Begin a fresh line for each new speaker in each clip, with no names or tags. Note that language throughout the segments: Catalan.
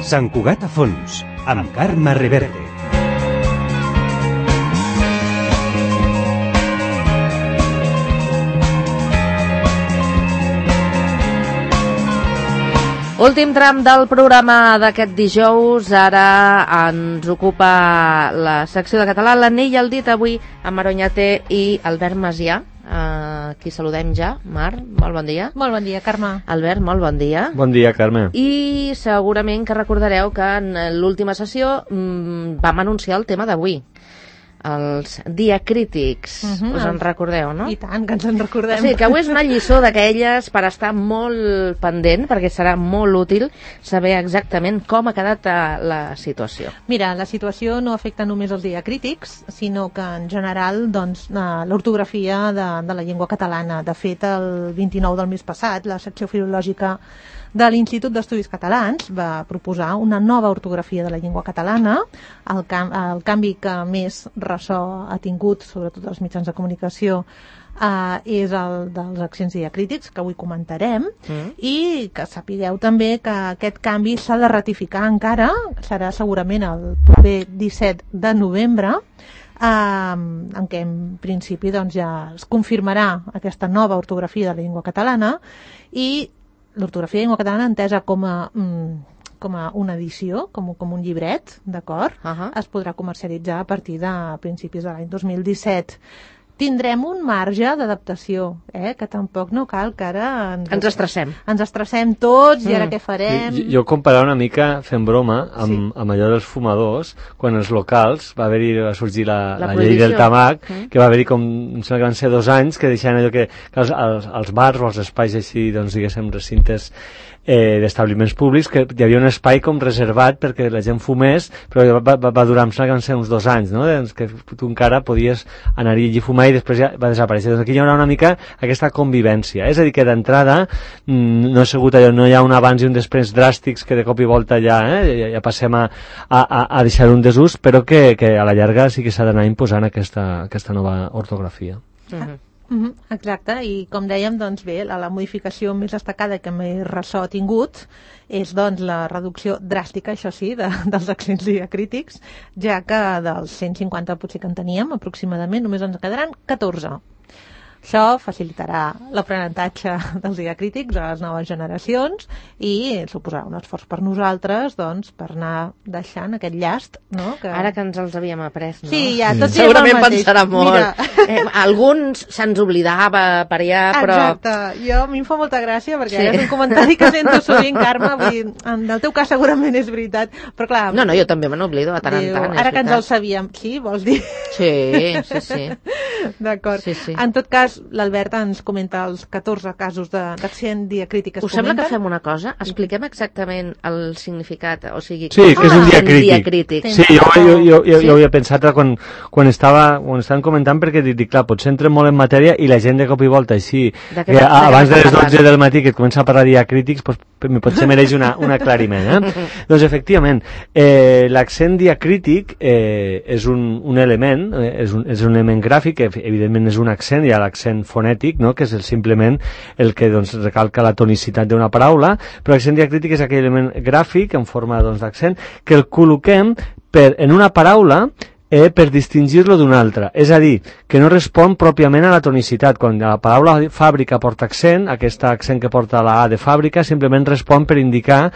Sant Cugat a fons, amb Carme Reverte.
Últim tram del programa d'aquest dijous. Ara ens ocupa la secció de català, l'anell al dit, avui amb Mar Oñate i Albert Macià, qui saludem ja. Mar, molt bon dia.
Molt bon dia, Carme.
Albert, molt bon dia.
Bon dia, Carme.
I segurament que recordareu que en l'última sessió vam anunciar el tema d'avui, els diacrítics. Us en recordeu, no?
I tant, que ens en recordem.
Sí, que avui és una lliçó d'aquelles per estar molt pendent, perquè serà molt útil saber exactament com ha quedat la situació.
Mira, la situació no afecta només els diacrítics, sinó que en general doncs, l'ortografia de la llengua catalana. De fet, el 29 del mes passat, la secció filològica de l'Institut d'Estudis Catalans va proposar una nova ortografia de la llengua catalana. El canvi que més ressò ha tingut, sobretot als mitjans de comunicació, és el dels accents diacrítics, que avui comentarem, i que sapigueu també que aquest canvi s'ha de ratificar encara, serà segurament el proper 17 de novembre, en què en principi doncs, ja es confirmarà aquesta nova ortografia de la llengua catalana, i l'ortografia de llengua catalana entesa com a una edició, com un llibret, d'acord? Es podrà comercialitzar a partir de principis de l'any 2017. Tindrem un marge d'adaptació, que tampoc no cal que ara
ens estressem.
Ens estressem tots i ara què farem?
Jo comparava una mica, fent broma, amb allò dels fumadors, quan els locals va sorgir la llei del tabac, que va haver-hi com, em sembla que van ser 2 anys, que deixaven allò que als bars o als espais així, doncs diguéssim, recintes d'establiments públics, que hi havia un espai com reservat perquè la gent fumés, però va durar, em sembla que van ser uns 2 anys, no? Que tu encara podies anar-hi a fumar i després ja va desaparèixer. Doncs aquí hi haurà una mica aquesta convivència, és a dir, que d'entrada no ha sigut allò, no hi ha un abans i un després dràstics que de cop i volta ja passem a deixar un desús, però que a la llarga sí que s'ha d'anar imposant aquesta nova ortografia.
Exacte, i com dèiem, doncs bé, la modificació més destacada que més ressò ha tingut és doncs la reducció dràstica, això sí, dels accents diacrítics, ja que dels 150 potser que en teníem aproximadament només ens quedaran 14. Això facilitarà l'aprenentatge dels diacrítics a les noves generacions i suposarà un esforç per nosaltres, doncs, per anar deixant aquest llast, no?
Ara que ens els havíem après, no?
Sí, ja, tots
segurament pensarà molt. Alguns se'ns oblidava per allà, però...
Exacte, a mi em fa molta gràcia, perquè és un comentari que sento sovint, Carme, vull dir, en el teu cas segurament és veritat, però clar...
No, jo també me n'oblido de tant en tant.
Ara que ens el sabíem, sí, vols dir?
Sí.
D'acord. En tot cas, l'Albert ens comenta els 14 casos d'accent diacrític que es comenten.
Us sembla que fem una cosa? Expliquem exactament el significat, o sigui...
Sí, que és un diacrític. Sí, jo havia pensat quan estaven comentant, perquè dic, clar, potser entrem molt en matèria i la gent de cop i volta així, abans de les 12 del matí que et comença a parlar de diacrítics, potser mereix un aclariment. Doncs efectivament, l'accent diacrític és un element, és un element gràfic, que evidentment és un accent, hi ha l'accent fonètic, no? Que és simplement el que recalca la tonicitat d'una paraula, però l'accent diacrític és aquell element gràfic en forma d'accent que el col·loquem en una paraula per distingir-lo d'una altra. És a dir, que no respon pròpiament a la tonicitat. Quan la paraula fàbrica porta accent, aquest accent que porta la A de fàbrica simplement respon per indicar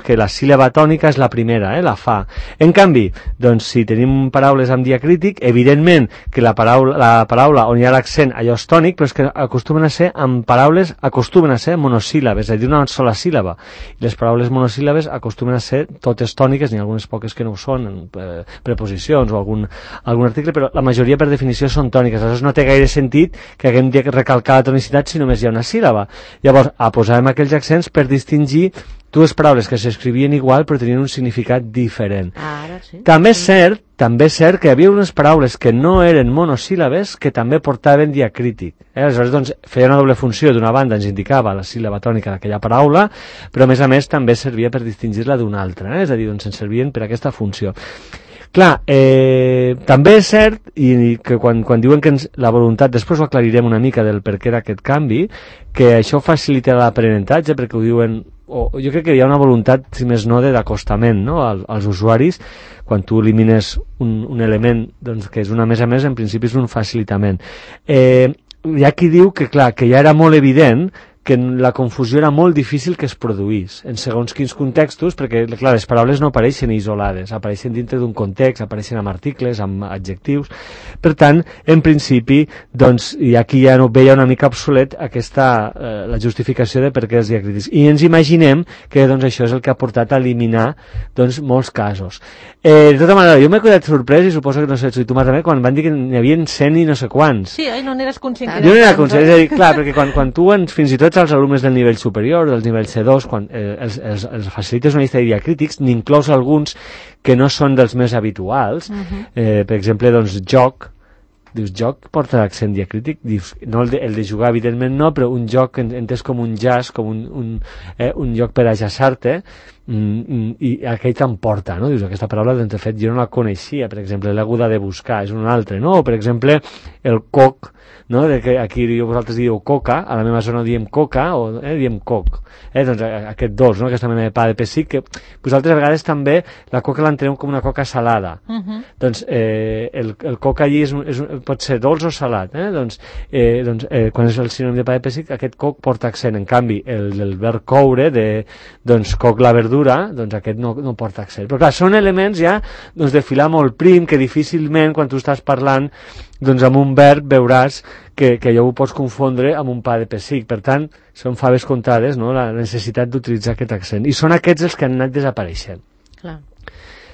que la síl·laba tònica és la primera, la fa. En canvi, si tenim paraules amb diacrític, evidentment que la paraula on hi ha l'accent allò és tònic, però és que acostumen a ser monosíl·labes, és a dir, una sola síl·laba. I les paraules monosíl·labes acostumen a ser totes tòniques, n'hi ha algunes poques que no ho són, preposicions o algun article, però la majoria per definició són tòniques. Aleshores no té gaire sentit que haguem de recalcar la tonicitat si només hi ha una síl·laba. Llavors, posàvem aquells accents per distingir 2 paraules que s'escrivien igual però tenien un significat diferent. També és cert que hi havia unes paraules que no eren monosíl·labes que també portaven diacrític. Aleshores, feia una doble funció. D'una banda ens indicava la síl·laba tònica d'aquella paraula, però a més també servia per distingir-la d'una altra. És a dir, ens servien per aquesta funció. Clar, també és cert que quan diuen que la voluntat, després ho aclarirem una mica del per què d'aquest canvi, que això facilita l'aprenentatge, perquè ho diuen jo crec que hi ha una voluntat, si més no, d'acostament, no?, als usuaris. Quan tu elimines un element, doncs, que és una més a més, en principi és un facilitament. Hi ha qui diu que, clar, que ja era molt evident que la confusió era molt difícil que es produís en segons quins contextos, perquè, clar, les paraules no apareixen isolades, apareixen dintre d'un context, apareixen amb articles, amb adjectius. Per tant, en principi, doncs, i aquí ja no veia una mica obsolet la justificació de per què els diacrítics. I ens imaginem que, doncs, això és el que ha portat a eliminar, doncs, molts casos. De tota manera, jo m'he quedat sorprès, i suposo que no sé si tu, Marta, quan van dir que n'hi havia 100 i no sé quants.
Sí, no n'eres conscient.
Jo no era conscient, és a dir, clar, perquè quan tu, fins i tot els alumnes del nivell superior, del nivell C2, quan els facilites una llista de diacrítics, n'inclous alguns que no són dels més habituals. Per exemple, doncs, joc. Dius, joc porta accent diacrític? Dius, no el de jugar, evidentment no, però un joc entès com un jazz, com un joc per ajaçar-te, i aquell te'n porta, no? Dius, aquesta paraula, doncs, de fet, jo no la coneixia, per exemple, l'he hagut de buscar, és un altre, no? O, per exemple, el coc, no? Que aquí vosaltres dieu coca, a la meva zona diem coca o diem coc, doncs aquest dolç, no? Aquesta mena de pa de pessic, que vosaltres a vegades també la coca l'entenem com una coca salada. Doncs el coc allí pot ser dolç o salat, doncs quan és el sinònim de pa de pessic, aquest coc porta accent. En canvi, el verb coure, doncs coc la verdura, doncs aquest no porta accent. Però clar, són elements ja de filar molt prim, que difícilment quan tu estàs parlant doncs amb un verb veuràs que allò ho pots confondre amb un pa de pessic. Per tant, són faves comptades, no?, la necessitat d'utilitzar aquest accent. I són aquests els que han anat desapareixent. Clar.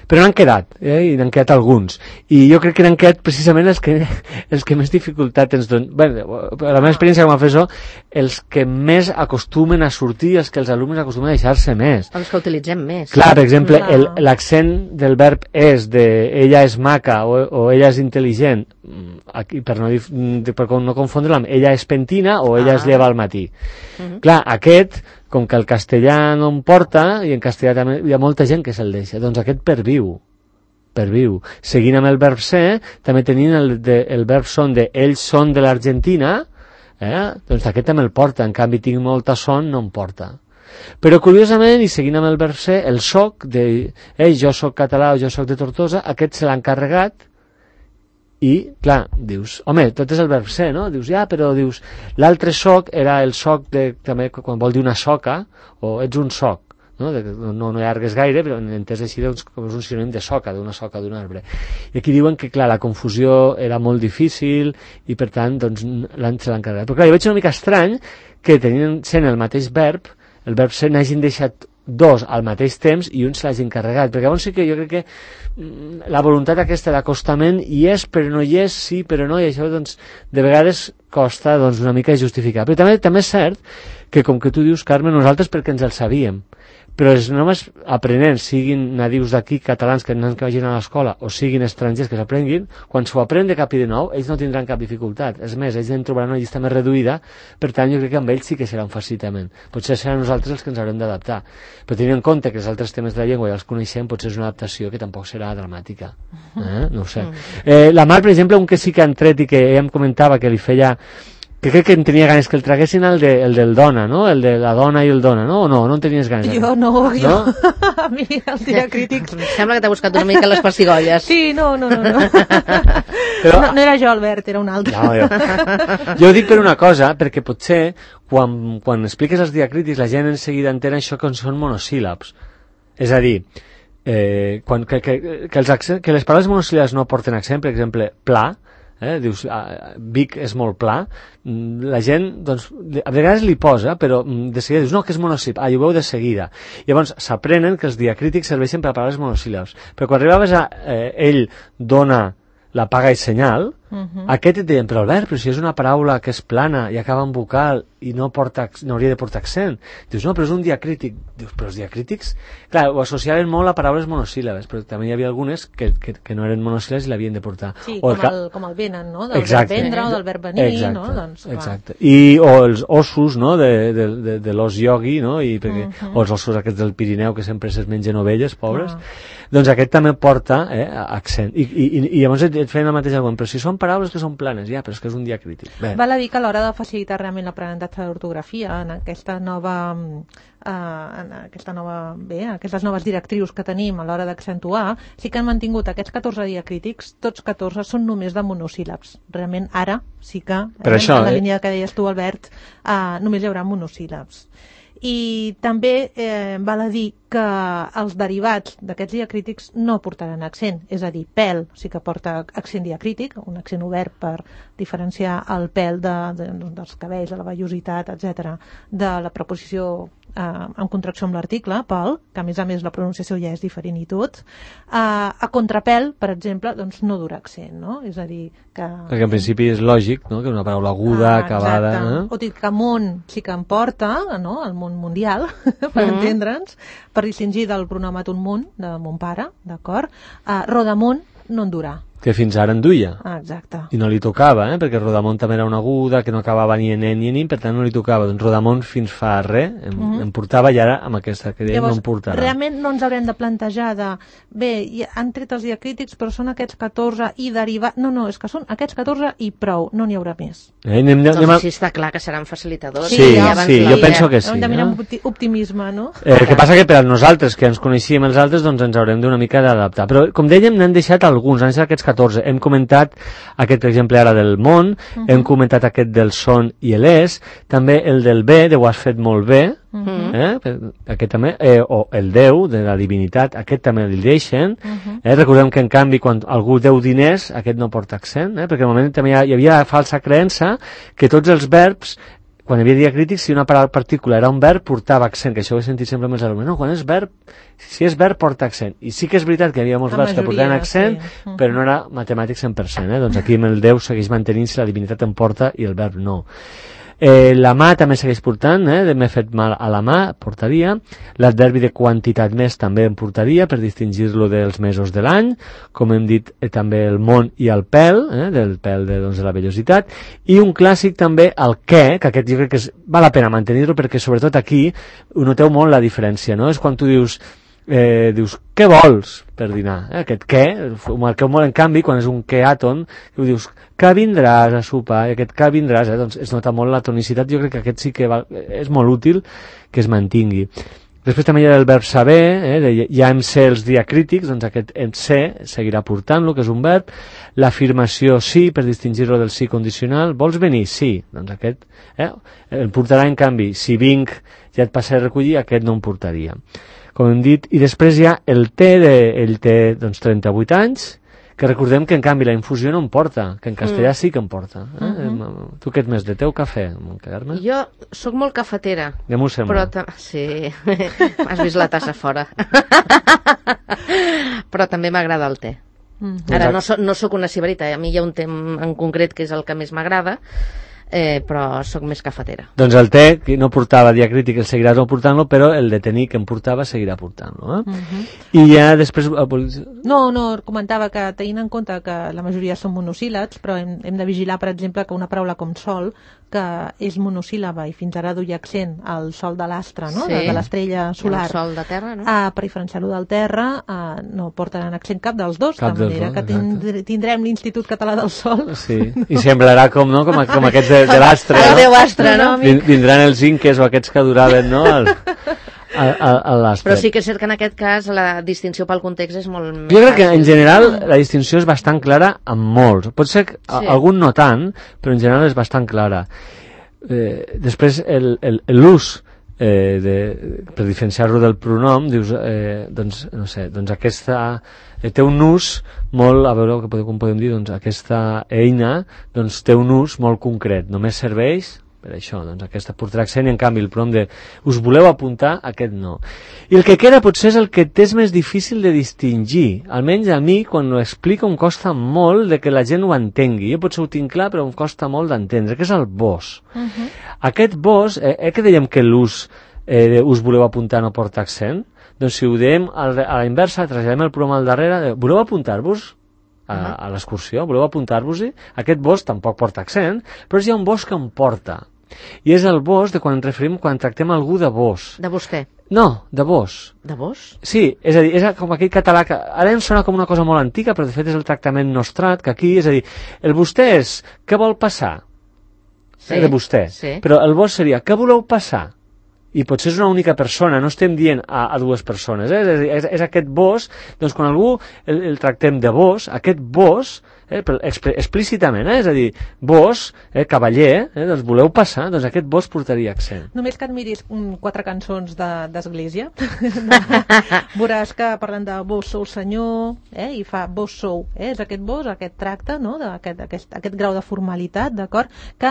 Però n'han quedat, i n'han quedat alguns. I jo crec que n'han quedat precisament els que més dificultat ens donen. Bé, la meva experiència com a professor, els que més acostumen a sortir, els que els alumnes acostumen a deixar-se més.
Els que utilitzem més.
Clar, per exemple, l'accent del verb és, de ella és maca o ella és intel·ligent, aquí, per no confondre-la amb ella és pentina o ella es lleva al matí. Clar, aquest, com que el castellà no en porta, i en castellà també hi ha molta gent que se'l deixa, doncs aquest perviu. Seguint amb el verb ser, també tenint el verb son de ells són de l'Argentina, doncs aquest també el porta, en canvi tinc molta son, no em porta. Però curiosament, i seguint amb el verb ser, el soc de jo soc català o jo soc de Tortosa, aquest se l'ha encarregat. I, clar, dius, home, tot és el verb ser, no? Dius, però dius, l'altre soc era el soc també quan vol dir una soca, o ets un soc, no allargues gaire, però entès així, doncs, com és un sinònim de soca, d'una soca d'un arbre. I aquí diuen que, clar, la confusió era molt difícil i, per tant, doncs, se l'han encarregat. Però, clar, jo veig una mica estrany que sent el mateix verb, el verb ser n'hagin deixat dos al mateix temps i un se l'hagin carregat, perquè llavors sí que jo crec que la voluntat aquesta d'acostament hi és, però no hi és, sí, però no, i això doncs de vegades costa doncs una mica justificar. Però també és cert que, com que tu dius, Carme, nosaltres perquè ens el sabíem, però els només aprenents, siguin nadius d'aquí, catalans que vagin a l'escola, o siguin estrangers que s'aprenguin, quan s'ho aprenen de cap i de nou, ells no tindran cap dificultat. És més, ells en trobaran una llista més reduïda, per tant, jo crec que amb ells sí que serà un facilitament. Potser seran nosaltres els que ens haurem d'adaptar. Però tenint en compte que els altres temes de la llengua ja els coneixem, potser és una adaptació que tampoc serà dramàtica. No ho sé. La Mar, per exemple, un que sí que han tret i que ella em comentava que li feia... que crec que en tenia ganes que el traguessin el del dona, no? El de la dona i el dona, no? O no en tenies ganes?
Jo no? A mi els diacrítics...
Sembla que t'ha buscat una mica les pessigolles.
Sí, no. Però... No era jo, Albert, era un altre.
No, jo ho dic per una cosa, perquè potser quan expliques els diacrítics la gent en seguida entén això que són monosíl·labs. És a dir, que les paraules monosíl·labs no porten accent, per exemple, pla, dius, Vic és molt pla, la gent doncs, a vegades li posa, però de seguida dius, no, que és monosíl·lab, i ho veu de seguida. Llavors s'aprenen que els diacrítics serveixen per a paraules monosíl·labs, però quan arribaves a ell dona la paga i senyal, aquest et deien, però Albert, però si és una paraula que és plana i acaba en vocal i no hauria de portar accent. Dius, no, però és un diacrític. Dius, però els diacrítics... Clar, ho associaven molt a paraules monosíl·labes, però també hi havia algunes que no eren monosíl·labes i l'havien de portar.
Sí, com el venen, no? Del verb vendre o del verb venir, no? Doncs,
exacte. O els ossos, no?, de l'os iogui, no?, o els ossos aquests del Pirineu que sempre es mengen ovelles, pobres. Doncs aquest també porta accent. I llavors et feien el mateix argument, però si són paraules que són planes, però és que és un diacrític.
Val a dir que a l'hora de facilitar realment l'aprenentatge d'ortografia, en aquesta nova aquestes noves directrius que tenim a l'hora d'accentuar, sí que han mantingut aquests 14 diacrítics, tots 14 són només de monosíl·labs. Realment ara sí que,
això,
en la línia que deies tu, Albert, només hi haurà monosíl·labs. I també val a dir que els derivats d'aquests diacrítics no portaran accent, és a dir, pèl sí que porta accent diacrític, un accent obert per diferenciar el pèl dels cabells, de la vellositat, etc., de la preposició en contracció amb l'article, pèl, que a més la pronunciació ja és diferent i tot. A contrapèl, per exemple, doncs no dura accent, no? És a dir, que...
Perquè en principi és lògic, no?, que una paraula aguda, acabada...
O dir que món sí que em porta, no?, el món mundial, per entendre'ns, per distingir del pronòmeton món, de mon pare, d'acord? Rodamón no en durà.
Que fins ara en duia.
Exacte.
I no li tocava, perquè Rodamón també era una aguda, que no acabava ni en ni en, per tant no li tocava. Doncs Rodamón fins fa res em portava, i ara amb aquesta que deia no em portarà.
Realment no ens haurem de plantejar bé, han tret els diacrítics, però són aquests 14 i derivat... No, és que són aquests 14 i prou, no n'hi haurà més.
Doncs sí, està clar que seran facilitadors.
Sí, jo penso que sí.
Hem de mirar amb optimisme, no?
El que passa que per a nosaltres, que ens coneixíem els altres, doncs ens haurem d'una mica d'adaptar. Però, com dèiem, n'han deixat alguns, han deixat aquests 14. Hem comentat aquest exemple ara del món, hem comentat aquest del son i l'és, també el del bé, de ho has fet molt bé, aquest també, o el Déu, de la divinitat, aquest també el deixen. Recordem que, en canvi, quan algú deu diners, aquest no porta accent, perquè al moment també hi havia la falsa creença que tots els verbs, quan hi havia diacrítics, si una partícula era un verb, portava accent, que això ho he sentit sempre amb els alumnes. No, quan és verb, si és verb, porta accent. I sí que és veritat que hi havia molts verbs que portaven accent, però no era matemàtic 100%. Doncs aquí amb el Déu segueix mantenint si la divinitat en porta i el verb no. La mà també segueix portant, m'he fet mal a la mà, portaria. L'adverbi de quantitat més també en portaria, per distingir-lo dels mesos de l'any. Com hem dit, també el món i el pèl, del pèl de la vellositat. I un clàssic també, el què, que aquest jo crec que val la pena mantenir-lo, perquè sobretot aquí ho noteu molt la diferència, no? És quan tu dius, què vols per dinar? Aquest què, ho marqueu molt, en canvi, quan és un què àton, ho dius, que vindràs a sopar, i aquest que vindràs, doncs es nota molt la tonicitat. Jo crec que aquest sí que és molt útil que es mantingui. Després també hi ha el verb saber, ja em sé els diacrítics, doncs aquest em sé seguirà portant-lo, que és un verb. L'afirmació sí, per distingir-lo del sí condicional. Vols venir? Sí. Doncs aquest el portarà, en canvi, si vinc ja et passaré a recollir, aquest no em portaria. Com hem dit, i després hi ha el té, ell té 38 anys, que recordem que en canvi la infusió no em porta, que en castellà sí que em porta. Tu què et més de té o cafè, Carme?
Jo sóc molt cafetera.
Ja m'ho sembla.
Sí, has vist la tassa fora. Però també m'agrada el té. Ara no sóc una sibarita, a mi hi ha un té en concret que és el que més m'agrada, però sóc més cafetera.
Doncs el té, que no portava diacrític, el seguiràs no portant-lo, però el de tenir que em portava seguirà portant-lo. I ja després...
No, comentava que tenint en compte que la majoria són monosíl·labs, però hem de vigilar, per exemple, que una paraula com sol, que és monosíl·laba i fins ara duia accent al sol de l'astre, no? De l'estrella solar.
El sol de terra, no?
Per diferenciar-lo del terra, no portaran accent cap dels dos, de manera que tindrem l'Institut Català del Sol.
Sí, i semblarà com aquests de l'astre.
El Déu astre, no?
Vindran els inques o aquests que duraven, no? L'astre.
Però sí que és cert que en aquest cas la distinció pel context és molt més...
Jo crec que en general la distinció és bastant clara amb molts. Pot ser que algun no tant, però en general és bastant clara. Després l'ús per diferenciar-lo del pronom, dius, doncs, no sé, doncs aquesta té un ús molt, a veure com podem dir, doncs aquesta eina doncs té un ús molt concret, només serveix per això, doncs aquesta portarà accent, i en canvi el pronom de us voleu apuntar, aquest no. I el que queda potser és el que és més difícil de distingir, almenys a mi quan ho explico em costa molt de que la gent ho entengui. Jo potser ho tinc clar, però em costa molt d'entendre, que és el vos. Aquest vos, que dèiem que l'ús us voleu apuntar no porta accent? Doncs si ho dèiem a la inversa, traslladem el pronom al darrere, voleu apuntar-vos a l'excursió, voleu apuntar-vos-hi? Aquest vos tampoc porta accent, però hi ha un vos que em porta. I és el vos de quan ens referim, quan tractem algú de vos.
De vostè?
No, de vos.
De vos?
Sí, és a dir, és com aquell català que ara em sona com una cosa molt antiga, però de fet és el tractament nostrat, que aquí, és a dir, el vostè és, què vol passar? De vostè. Sí. Però el vos seria, què voleu passar? i potser és una única persona, no estem dient a dues persones, és aquest vos, doncs quan algú el tractem de vos, aquest vos, explícitament, és a dir, vos, cavaller, doncs voleu passar, doncs aquest vos portaria accent.
Només que et miris 4 cançons d'Església, veuràs que parlen de vos sou senyor, i fa vos sou, és aquest vos, aquest tracte, no? aquest grau de formalitat, d'acord? Que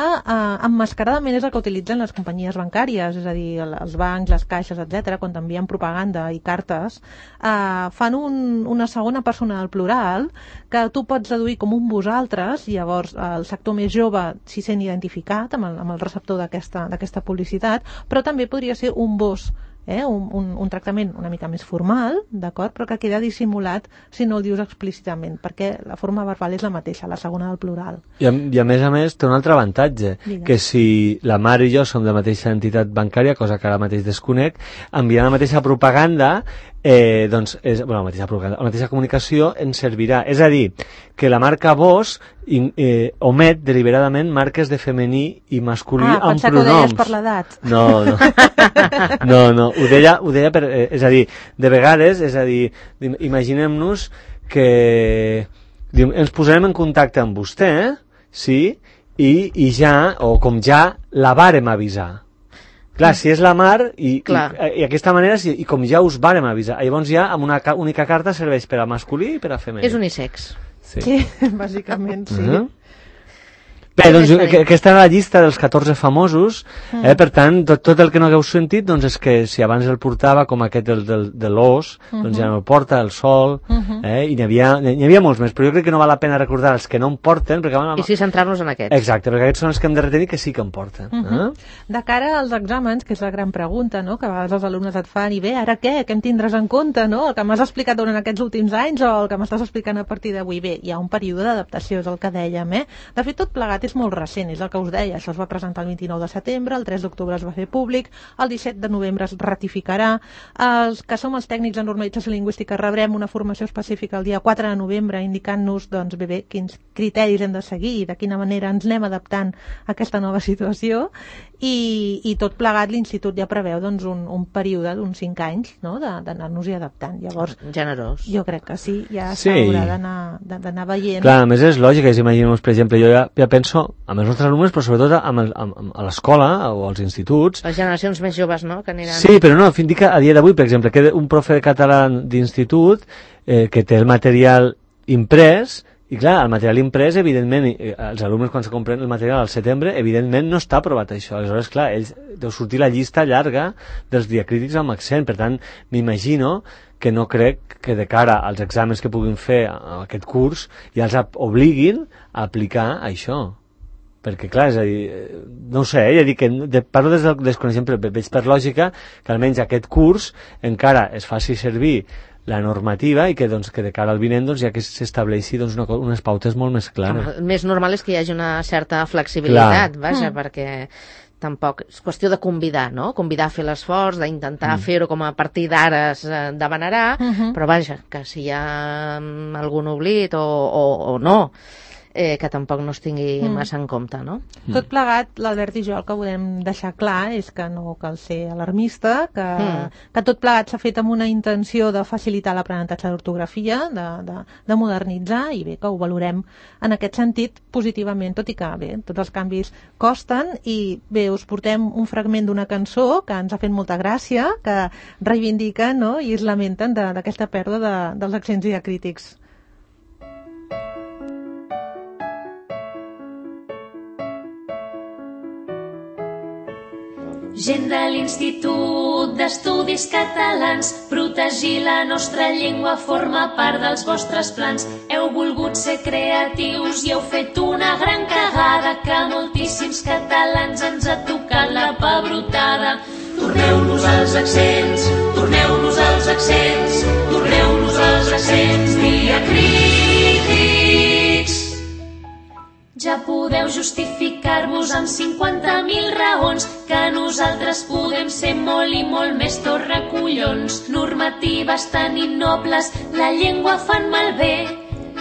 emmascaradament és el que utilitzen les companyies bancàries, és a dir, els bancs, les caixes, etc., quan t'envien propaganda i cartes, fan una segona persona del plural que tu pots deduir com un vosaltres, i llavors el sector més jove s'hi sent identificat amb el receptor d'aquesta publicitat, però també podria ser un vos, un tractament una mica més formal, d'acord, però que queda dissimulat si no el dius explícitament, perquè la forma verbal és la mateixa, la segona del plural.
I a més té un altre avantatge, que si la mare i jo som de la mateixa entitat bancària, cosa que ara mateix desconec, enviant la mateixa propaganda, doncs, la mateixa comunicació ens servirà. És a dir, que la marca vos omet deliberadament marques de femení i masculí amb pronoms.
Pensava que ho deies per l'edat.
No, ho deia per... és a dir, de vegades, imaginem-nos que ens posarem en contacte amb vostè, sí, i ja, o com ja, la vàrem avisar. Clar, si és la mar, i aquesta manera, i com ja us vàrem avisar, llavors ja amb una única carta serveix per a masculí i per a femení.
És unisex.
Sí, bàsicament sí.
Bé, doncs aquesta era la llista dels 14 famosos, per tant, tot el que no hagueu sentit, doncs és que si abans el portava, com aquest de l'os, doncs ja no el porta, el sol, i n'hi havia molts més, però jo crec que no val la pena recordar els que no en porten, perquè...
I sí centrar-nos en aquests.
Exacte, perquè aquests són els que hem de retenir que sí que en porten.
De cara als exàmens, que és la gran pregunta, no?, que a vegades els alumnes et fan, i bé, ara què em tindràs en compte, no?, el que m'has explicat durant aquests últims anys o el que m'estàs explicant a partir d'avui. Bé, hi ha un període d'adaptació, és el que dèiem, De fet, tot plegat és molt recent, és el que us deia, això es va presentar el 29 de setembre, el 3 d'octubre es va fer públic, el 17 de novembre es ratificarà, els que som els tècnics en normalització lingüística rebrem una formació específica el dia 4 de novembre indicant-nos, doncs, bé, quins criteris hem de seguir i de quina manera ens anem adaptant a aquesta nova situació, i tot plegat l'institut ja preveu, doncs, un període d'uns 5 anys, no?, d'anar-nos-hi adaptant. Llavors,
generós.
Jo crec que sí, ja s'haurà d'anar veient.
Clar, a més és lògic, imaginem-nos, per exemple, jo ja penso amb els nostres alumnes, però sobretot a l'escola o als instituts.
Les generacions més joves, no?, que aniran...
Sí, però no, fins que a dia d'avui, per exemple, que un profe de català d'institut que té el material imprès, i clar, el material imprès, evidentment, els alumnes quan se compren el material al setembre, evidentment no està aprovat això. Aleshores, clar, ells deu sortir la llista llarga dels diacrítics amb accent. Per tant, m'imagino que no crec que de cara als exàmens que puguin fer a aquest curs ja els obliguin a aplicar això. Perquè, clar, és a dir, no ho sé, ja dic que parlo des del desconeixement, però veig per lògica que almenys aquest curs encara es faci servir la normativa i que de cara al vinent ja que s'estableixi unes pautes molt més clares.
El més normal és que hi hagi una certa flexibilitat, vaja, perquè tampoc és qüestió de convidar, no? Convidar a fer l'esforç, d'intentar fer-ho com a partir d'ara es demanarà, però vaja, que si hi ha algun oblit o no, que tampoc no es tingui massa en compte, no?
Tot plegat, l'Albert i jo el que volem deixar clar és que no cal ser alarmista, que tot plegat s'ha fet amb una intenció de facilitar l'aprenentatge d'ortografia, de modernitzar, i bé, que ho valorem en aquest sentit positivament, tot i que bé, tots els canvis costen, i bé, us portem un fragment d'una cançó que ens ha fet molta gràcia, que reivindiquen, no?, i es lamenten d'aquesta pèrdua dels accents diacrítics.
Gent de l'Institut d'Estudis Catalans, protegir la nostra llengua forma part dels vostres plans. Heu volgut ser creatius i heu fet una gran cagada, que moltíssims catalans ens ha tocat la pebrotada. Torneu-nos als accents, torneu-nos als accents, torneu-nos als accents diacrítics. Ja podeu justificar-vos amb 50.000 raons que nosaltres podem ser molt i molt més torracollons. Normatives tan innobles la llengua fan malbé.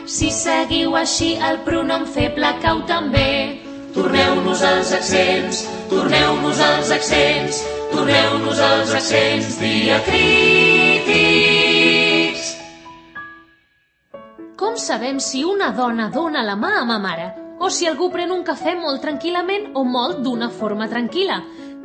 Si seguiu així el pronom feble cau també. Torneu-nos als accents, torneu-nos als accents, Torneu-nos els accents diacrítics. Com sabem si una dona dona la mà a ma mare? O si algú pren un cafè molt tranquil·lament o molt d'una forma tranquil·la?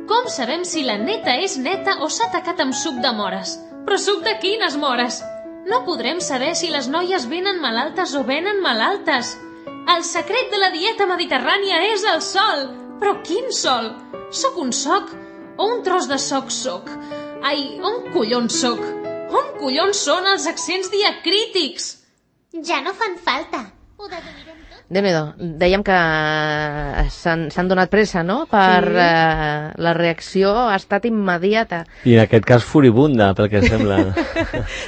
Com sabem si la neta és neta o s'ha tacat amb suc de mores? Però suc de quines mores? No podrem saber si les noies venen malaltes o venen malaltes. El secret de la dieta mediterrània és el sol. Però quin sol? Soc un soc o un tros de soc soc? Ai, on collons soc? On collons són els accents diacrítics?
Ja no fan falta. Ho deduirem tot.
Déu-n'hi-do, dèiem que s'han donat pressa, no? La reacció ha estat immediata.
I en aquest cas furibunda, pel que sembla.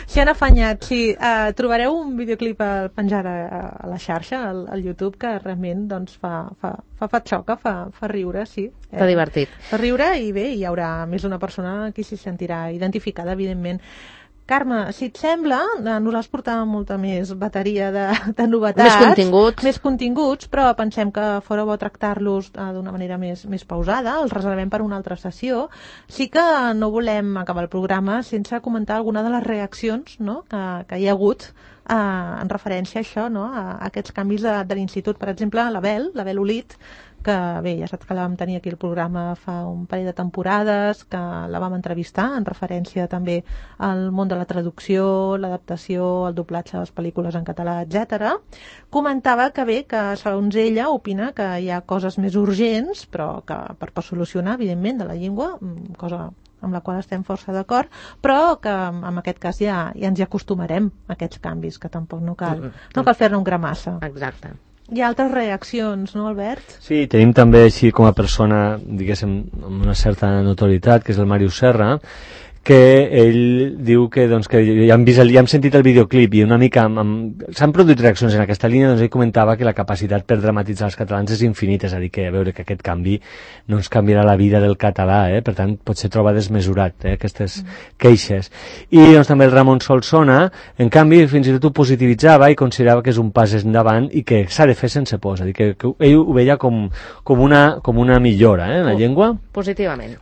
S'hi han afanyat, sí. Trobareu un videoclip penjat a la xarxa, al YouTube, que realment doncs, fa xoca, fa riure, sí.
Està divertit.
Fa riure i bé, hi haurà més d'una persona que s'hi sentirà identificada, evidentment. Carme, si et sembla, nosaltres portàvem molta més bateria de novetats. Més continguts, però pensem que fora bo tractar-los d'una manera més pausada, els reservem per una altra sessió. Sí que no volem acabar el programa sense comentar alguna de les reaccions, no?, que hi ha hagut en referència a això, no?, a aquests canvis de l'institut. Per exemple, l'Abel Olit, que bé, ja saps que la vam tenir aquí al programa fa un parell de temporades, que la vam entrevistar en referència també al món de la traducció, l'adaptació, el doblatge de les pel·lícules en català, etc. Comentava que bé, que segons ella opina que hi ha coses més urgents, però que per solucionar, evidentment, de la llengua, cosa amb la qual estem força d'acord, però que en aquest cas ja ens hi acostumarem a aquests canvis, que tampoc no cal fer-ne un gramassa.
Exacte.
Hi ha altres reaccions, no, Albert?
Sí, tenim també així com a persona, diguéssim, amb una certa notorietat, que és el Màrius Serra, que ell diu que, doncs, que ja hem sentit el videoclip i una mica s'han produït reaccions en aquesta línia. Doncs ell comentava que la capacitat per dramatitzar els catalans és infinita, és a dir, que a veure que aquest canvi no ens canviarà la vida del català, per tant potser troba desmesurat aquestes queixes. I doncs també el Ramon Solsona, en canvi, fins i tot ho positivitzava i considerava que és un pas endavant i que s'ha de fer sense por, és a dir, que ell ho veia com una millora en la llengua.
Positivament.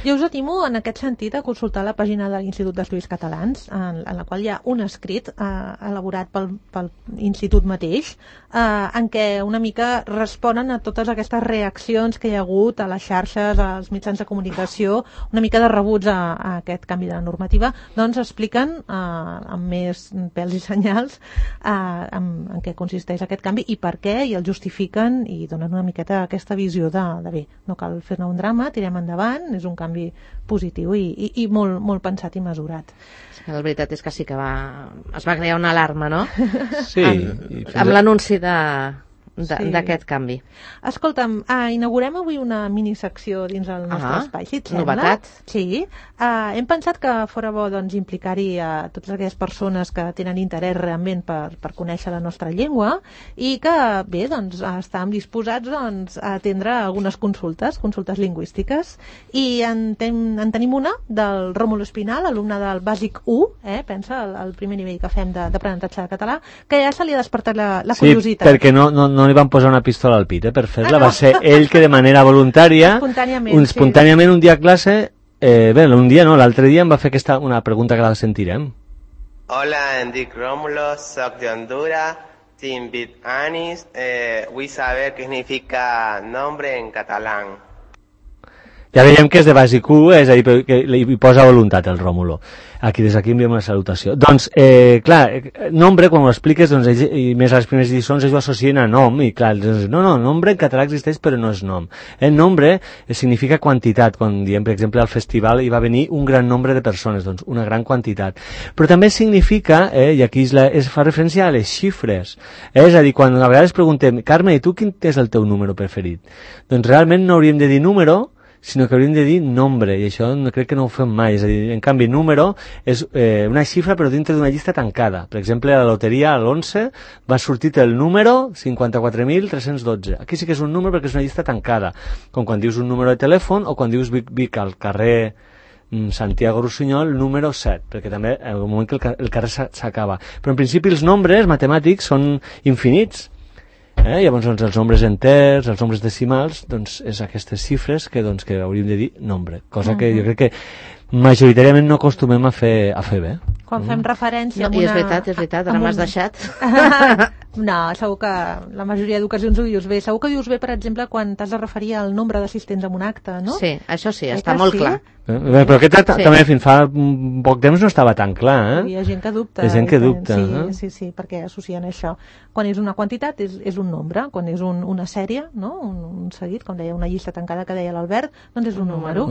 Jo us animo en aquest sentit a consultar la pàgina de l'Institut d'Estudis Catalans, en la qual hi ha un escrit elaborat pel Institut mateix, en què una mica responen a totes aquestes reaccions que hi ha hagut a les xarxes, als mitjans de comunicació, una mica de rebuig a aquest canvi de la normativa. Doncs expliquen amb més pèls i senyals en què consisteix aquest canvi i per què, i el justifiquen i donen una miqueta aquesta visió de bé, no cal fer-ne un drama, tirem endavant, és un canvi positiu i molt pensat i mesurat.
La veritat és que sí que es va crear una alarma, no?
Sí.
Amb l'anunci d'aquest canvi.
Escolta'm, inaugurem avui una minisecció dins el nostre espai, si et sembla.
Novetat.
Sí. Hem pensat que fora bo implicar-hi a totes aquelles persones que tenen interès realment per conèixer la nostra llengua i que, bé, estàvem disposats a atendre algunes consultes lingüístiques. I en tenim una del Rómulo Espinal, alumne del Bàsic 1, pensa, el primer nivell que fem d'aprenentatge de català, que ja se li ha despertat la curiositat.
Sí, perquè no li van posar una pistola al pit per fer-la, va ser ell que de manera voluntària, espontàniament un dia a classe, un dia no, l'altre dia em va fer una pregunta que la sentirem.
Hola, em dic Rómulo, soc de Honduras, tinc 20 anys, vull saber què significa nombre en català.
Ja veiem que és de bàsic 1, és a dir, que hi posa voluntat el Rómulo. Des d'aquí enviem una salutació. Doncs, clar, nombre, quan ho expliques, i més a les primeres lliçons, ells ho associen a nom, i clar, no, nombre en català existeix però no és nom. Nombre significa quantitat, quan diem, per exemple, al festival hi va venir un gran nombre de persones, doncs una gran quantitat. Però també significa, i aquí es fa referència a les xifres, és a dir, quan a vegades preguntem, Carme, i tu quin és el teu número preferit? Doncs realment no hauríem de dir número, sinó que hauríem de dir nombre, i això crec que no ho fem mai. És a dir, en canvi, número és una xifra però dintre d'una llista tancada. Per exemple, a la loteria, a l'11, va sortir el número 54.312. Aquí sí que és un número perquè és una llista tancada, com quan dius un número de telèfon o quan dius Vic al carrer Santiago Rossinyol, número 7, perquè també en el moment que el carrer s'acaba. Però en principi els nombres matemàtics són infinits. Llavors, doncs, els nombres enters, els nombres decimals, doncs, és aquestes xifres que hauríem de dir nombre, cosa que jo crec que majoritàriament no acostumem a fer bé.
Quan fem referència...
I és veritat, ara m'has deixat.
No, segur que la majoria d'ocasions ho dius bé. Segur que dius bé, per exemple, quan t'has de referir al nombre d'assistents en un acte, no?
Sí, això sí, està molt clar.
Però aquest també fins fa poc temps no estava tan clar,
Hi ha gent que dubta.
Hi ha gent que dubta.
Sí, perquè associen això. Quan és una quantitat és un nombre, quan és una sèrie, no? Un seguit, com deia, una llista tancada que deia l'Albert, doncs és un número.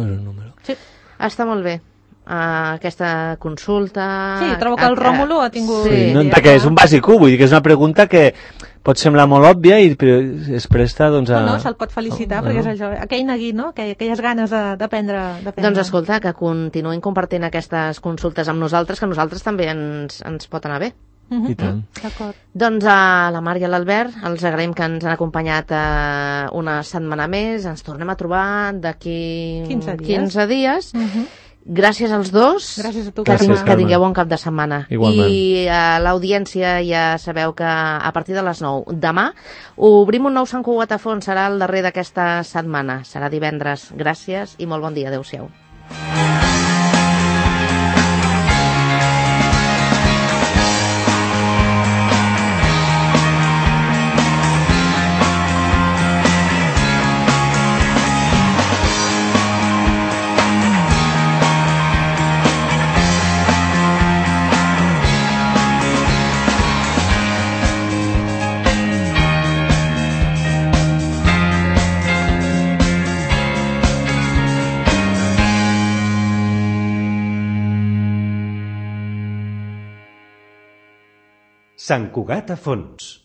Sí.
Està molt bé. Aquesta consulta...
Sí, trobo que el Ròmulo ha tingut...
Sí, perquè és un bàsic, vull dir que és una pregunta que pot semblar molt òbvia i es presta doncs a...
No, se'l pot felicitar perquè és això, aquell neguit, no? Aquelles ganes d'aprendre.
Doncs escolta, que continuïn compartint aquestes consultes amb nosaltres, que a nosaltres també ens pot anar bé.
I tant.
D'acord.
Doncs a la Mar i a l'Albert els agraïm que ens han acompanyat una setmana més, ens tornem a trobar d'aquí 15 dies. Gràcies als dos.
Gràcies a tu.
Que tingueu bon cap de setmana.
Igualment.
I a l'audiència ja sabeu que a partir de les 9 demà obrim un nou Sant Cugat a fons, serà el darrer d'aquesta setmana, serà divendres. Gràcies i molt bon dia, adeu-siau.
Sant Cugat a fons.